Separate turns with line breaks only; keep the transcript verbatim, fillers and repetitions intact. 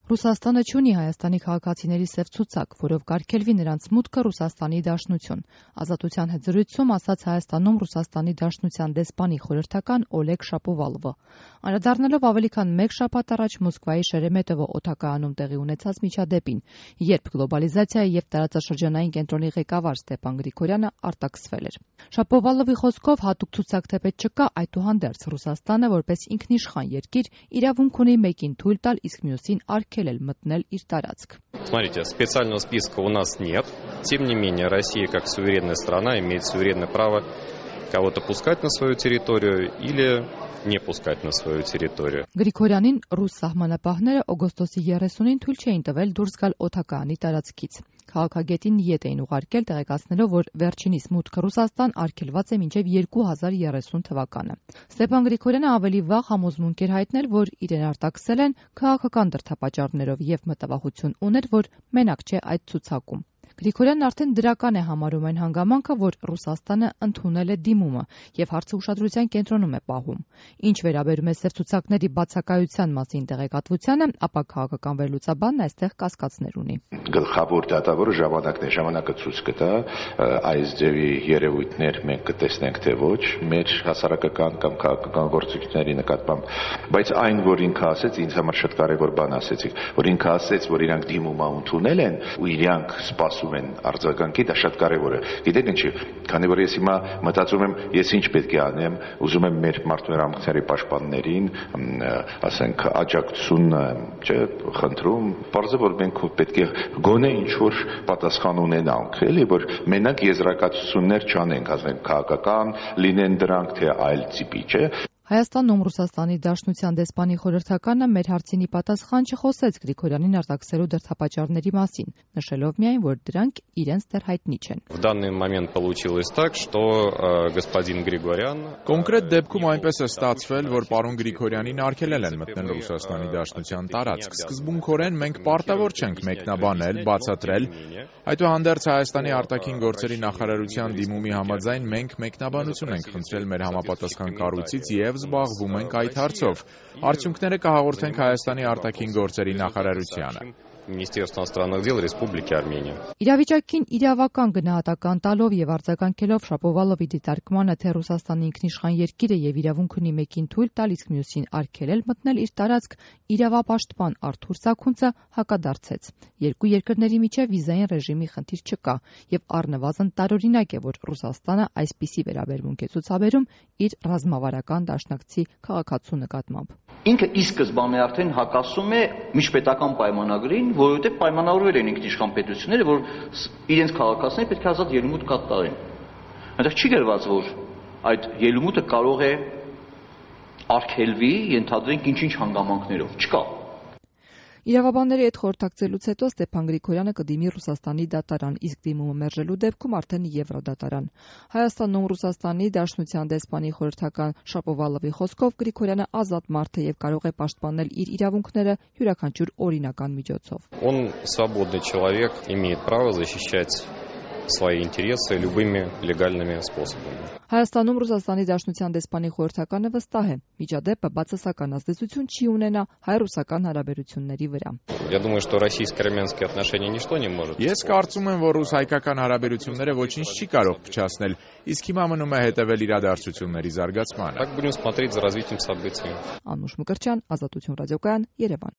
Ռուսաստանը չունի Հայաստանի քաղաքացիների սև ցուցակ, որով կարգելվի նրանց մուտքը Ռուսաստանի Դաշնություն։ Ազատության հետ զրույցում ասաց Հայաստանում Ռուսաստանի Դաշնության դեսպանի խորհրդական Օլեգ Շապովալովը։ Անդրադառնալով ավելի քան մեկ շաբաթ առաջ Մոսկվայի Շերեմետովո օդակայանում տեղի ունեցած միջադեպին, երբ գլոբալիզացիայի եւ տարածաշրջանային կենտրոնի ղեկավար Ստեփան Գրիգորյանը արտաքսվել էր։ Շապովալովի խոսքով հատուկ ցուցակ թեպետ չկա, այդուհանդերձ Ռուսաստանը որպես ինքնիշխան երկիր իրավունք ունի մեկին թույլ տալ, իսկ մյուսին արգելել մտնել իր տարածք։
Смотрите, специального списка у нас нет. Тем не менее, Россия как суверенная страна имеет суверенное право кого-то пускать на свою территорию или не пускать на свою территорию.
Գրիգորյանին ռուս սահմանապահները օգոստոսի երեսունին թույլ չէին տվել դուրս գալ օդակայանի տարածքից։ Քաղաքագետին ետ էին ուղարկել, տեղեկացնելով, որ վերջինիս մուտքը Ռուսաստան արգելված է մինչև երկու հազար երեսուն թվականը։ Ստեփան Գրիգորյանը ավելի վաղ համոզմունք էր հայտնել, որ իրեն արտաքսել են քաղաքական դրդապատճառներով եւ մտավախություն ուներ, որ մենակ չէ այդ ցուցակում։ Գրիգորյանն արդեն դրական է համարում այն հանգամանքը, որ Ռուսաստանը ընդունել է դիմումը եւ հարցը ուշադրության կենտրոնում է պահում։ Ինչ վերաբերում է սև ցուցակների բացակայության մասին տեղեկատվությանը, ապա քաղաքական վերլուծաբանն այստեղ կասկածներ ունի։
Գլխավոր դատավորը ժամանակն է, ժամանակը ցույց կտա այս ձևի երևույթներ մենք կտեսնենք թե ոչ մեր հասարակական կամ քաղաքական գործիքների նկատմամբ, բայց այն, որ ինքը ասեց, ինձ համար շատ կարևոր բան ասեցիք, որ ինքը ասեց, որ իրանք դիմումը ընդունել են ու իրանք սպասում են արձագանքի, դա շատ կարևոր է։ Գիտեք ինչի, քանի որ ես հիմա մտածում եմ, ես ինչ պետք է անեմ, ուզում եմ մեր մարդու պաշտպաններին, ասենք, աջակցություն, չէ, խնդրում, պարզը որ մենք պետք է գոնե ինչ որ պատասխան ունենանք, էլի, որ մենակ եզրակացություններ չանենք, ասենք, քաղաքական լինեն դրանք, թե այլ տիպի, չէ։
Հայաստանում Ռուսաստանի Դաշնության դեսպանի խորհրդականը մեր հարցինի պատասխան չխոսեց Գրիգորյանին արտաքսելու դրդապատճառների մասին, նշելով միայն, որ դրանք իրենց դեռ հայտնի չեն։
В данный момент получилось так, что господин Գրիգորյան
Կոնկրետ դեպքում այնպես է ստացվել, որ պարոն Գրիգորյանին արգելել են մտնել Ռուսաստանի Դաշնության տարածք։ Սկզբունքորեն մենք պարտավոր չենք մեկնաբանել, բացատրել, այդուհանդերձ Հայաստանի արտաքին գործերի նախարարության դիմումի համաձայն մենք մեկնաբանություն ենք խնդրել մեր համապատասխան կառույցից եւ զբաղվում ենք այդ հարցով։ Արդյունքները կհաղորդենք Հայաստանի արտաքին գործերի նախարարությանը։
Министерство иностранных дел Республики Армения.
Իրավիճակին իրավական գնահատական տալով եւ արձագանքելով Շապովալովի դիտարկմանը, թե Ռուսաստանը ինքնիշխան երկիր է եւ իրավունք ունի մեկին թույլ տալ, իսկ մյուսին արգելել մտնել իր տարածք, իրավապաշտպան Արթուր Սաքունցը հակադարձեց։ Երկու երկրների միջև վիզային ռեժիմի խնդիր չկա եւ առնվազն տարօրինակ է, որ Ռուսաստանը այսպիսի վերաբերմունք է ցուցաբերում իր ռազմավարական դաշնակցի քաղաքացու նկատմամբ։
Ինքը ի սկզբանե արդեն հակասում է միջպետական պայմանագրին, որովհետև պայմանավորվել են ինքնիշխան պետությունները, որ իրենց քաղաքացիները պետք է ազատ ելումուտ կատարեն։ Այնտեղ չի գրված, որ այդ ելումուտը կարող է արգելվի, ենթադրենք ինչ-ինչ հանգամանքներով, չկա։
Իրավաբանների հետ խորհրդակցելուց հետո Ստեփան Գրիգորյանը կդիմի Ռուսաստանի դատարան, իսկ դիմումը մերժելու դեպքում արդեն Եվրոդատարան։ Հայաստանում Ռուսաստանի Դաշնության դեսպանի խորհրդական Շապովալովի խոսքով Գրիգորյանը ազատ մարդ է եւ կարող է պաշտպանել իր իրավունքները յուրաքանչյուր օրինական միջոցով։
Он свободный человек, имеет право защищать свои интересы любыми легальными способами.
Հայաստանում Ռուսաստանի Դաշնության դեսպանի խորհրդականը վստահ է, միջադեպը բացասական ազդեցություն չի ունենա հայ-ռուսական հարաբերությունների վրա։
Я думаю, что российско-армянские отношения ничто не может.
Ես կարծում եմ, որ ռուս-հայկական հարաբերությունները ոչինչ չի կարող փչացնել, իսկ հիմա մնում է հետևել իրադարձությունների զարգացմանը։
Так будем смотреть за развитием событий.
Անուշ Մկրտչյան, Ազատություն ռադիոկայան, Երևան։